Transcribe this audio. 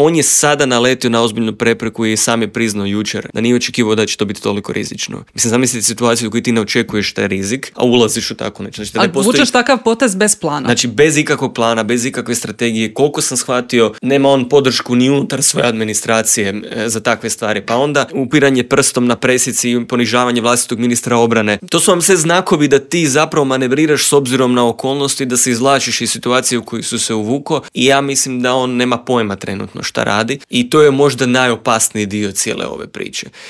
on je sada naletio na ozbiljnu prepreku i sam je priznao jučer da nije očekivao da će to biti toliko rizično. Mislim, zamislite situaciju u kojoj ti ne očekuješ taj rizik, a ulaziš u tako nešto. Znači, vučeš takav potez bez plana. Znači, bez ikakvog plana, bez ikakve strategije. Koliko sam shvatio, nema on podršku ni unutar svoje administracije za takve stvari. Pa onda upiranje prstom na presici i ponižavanje vlastitog ministra obrane. To su vam sve znakovi da ti zapravo manevriraš s obzirom na okolnosti, da se izvlačiš iz situacije u kojoj su se uvuko, i ja mislim da on nema pojma trenutno šta radi i to je možda najopasniji dio cijele ove priče.